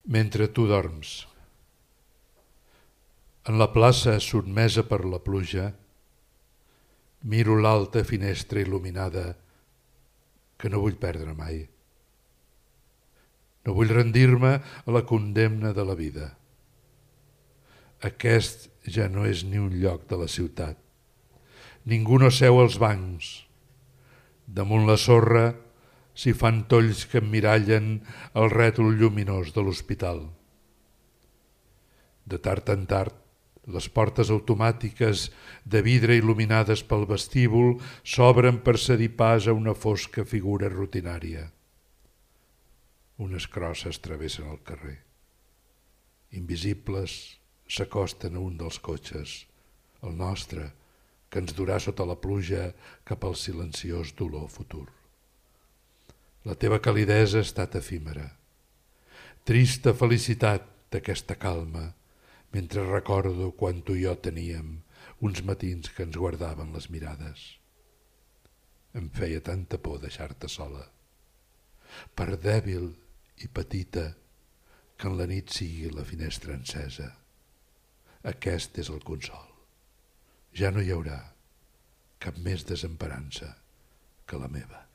Mentre tu dorms. En la plaça sotmesa per la pluja, miro l'alta finestra il·luminada que no vull perdre mai. No vull rendir-me a la condemna de la vida. Aquest ja no és ni un lloc de la ciutat. Ningú no seu als bancs. Damunt la sorra s'hi fan tolls que emmirallen el rètol lluminós de l'hospital. De tard en tard, les portes automàtiques de vidre il·luminades pel vestíbul s'obren per cedir pas a una fosca figura rutinària. Unes crosses travessen el carrer. Invisibles s'acosten a un dels cotxes, el nostre, que ens durà sota la pluja cap al silenciós dolor futur. La teva calidesa ha estat efímera. Trista felicitat d'aquesta calma, mentre recordo quan tu i jo teníem uns matins que ens guardaven les mirades. Em feia tanta por deixar-te sola. Per dèbil i petita que en la nit sigui la finestra encesa. Aquest és el consol. Ja no hi haurà cap més desemparança que la meva.